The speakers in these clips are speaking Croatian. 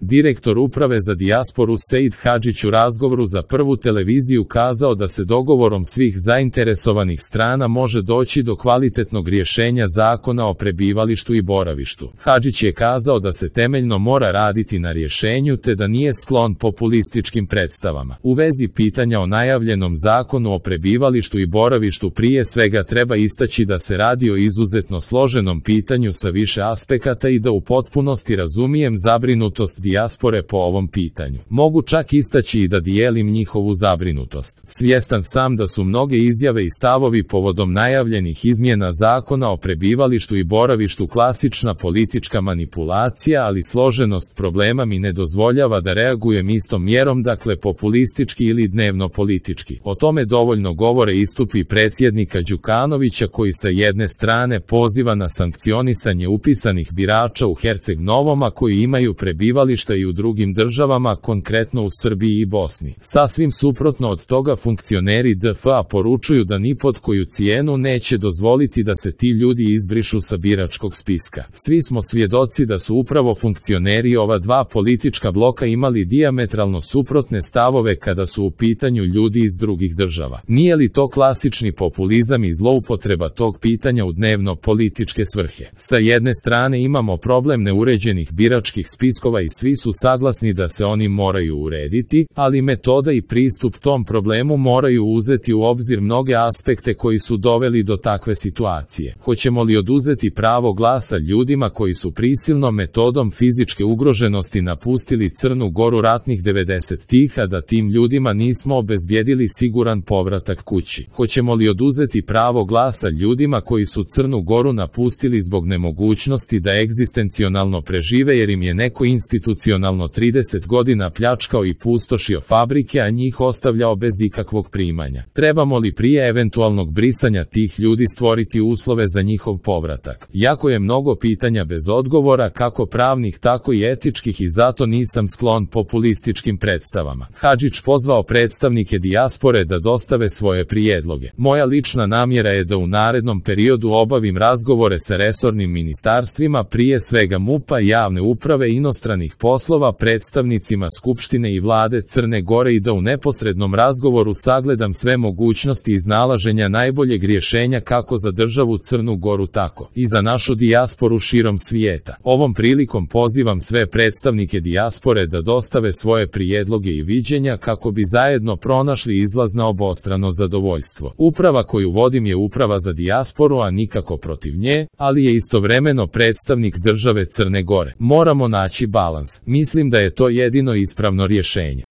Direktor Uprave za dijasporu Seid Hadžić u razgovoru za Prvu televiziju kazao da se dogovorom svih zainteresovanih strana može doći do kvalitetnog rješenja Zakona o prebivalištu i boravištu. Hadžić je kazao da se temeljno mora raditi na rješenju te da nije sklon populističkim predstavama. U vezi pitanja o najavljenom Zakonu o prebivalištu i boravištu prije svega treba istaći da se radi o izuzetno složenom pitanju sa više aspekata i da u potpunosti razumijem zabrinutost dijaspore po ovom pitanju. Mogu čak istaći i da dijelim njihovu zabrinutost. Svjestan sam da su mnoge izjave i stavovi povodom najavljenih izmjena Zakona o prebivalištu i boravištu klasična politička manipulacija, ali složenost problema mi ne dozvoljava da reagujem istom mjerom, dakle populistički ili dnevno politički. O tome dovoljno govore istupi predsjednika Đukanovića koji sa jedne strane poziva na sankcionisanje upisanih birača u Herceg Novom, a koji imaju prebivališta i u drugim državama, konkretno u Srbiji i Bosni. Sasvim suprotno od toga funkcioneri DFA poručuju da ni pod koju cijenu neće dozvoliti da se ti ljudi izbrišu sa biračkog spiska. Svi smo svjedoci da su upravo funkcioneri ova dva politička bloka imali dijametralno suprotne stavove kada su u pitanju ljudi iz drugih država. Nije li to klasični populizam i zloupotreba tog pitanja u dnevno političke svrhe? Sa jedne strane imamo problem neuređenih biračkih spiskova i svi su saglasni da se oni moraju urediti, ali metoda i pristup tom problemu moraju uzeti u obzir mnoge aspekte koji su doveli do takve situacije. Hoćemo li oduzeti pravo glasa ljudima koji su prisilnom metodom fizičke ugroženosti napustili Crnu Goru ratnih 90-ih, a da tim ljudima nismo obezbijedili siguran povratak kući? Hoćemo li oduzeti pravo glasa ljudima koji su Crnu Goru napustili zbog nemogućnosti da egzistencionalno prežive jer im je neko institucionalno 30 godina pljačkao i pustošio fabrike, a njih ostavljao bez ikakvog primanja? Trebamo li prije eventualnog brisanja tih ljudi stvoriti uslove za njihov povratak? Jako je mnogo pitanja bez odgovora, kako pravnih tako i etičkih, i zato nisam sklon populističkim predstavama. Hadžić pozvao predstavnike dijaspore da dostave svoje prijedloge. Moja lična namjera je da u narednom periodu obavim razgovore sa resornim ministarstvima, prije svega MUP-a, javne uprave, inostranih poslova, predstavnicima Skupštine i vlade Crne Gore i da u neposrednom razgovoru sagledam sve mogućnosti iznalaženja najboljeg rješenja kako za državu Crnu Goru tako i za našu dijasporu širom svijeta. Ovom prilikom pozivam sve predstavnike dijaspore da dostave svoje prijedloge i viđenja kako bi zajedno pronašli izlaz na obostrano zadovoljstvo. Uprava koju vodim je uprava za dijasporu, a nikako protiv nje, ali je istovremeno predstavnik države Crne Gore. Moramo naći balans. Mislim da je to jedino ispravno rješenje.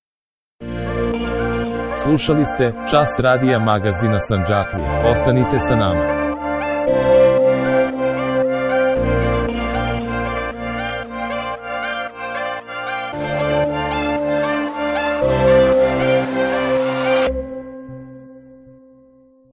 Slušali ste Čas radija magazina Sandžaklije. Ostanite sa nama.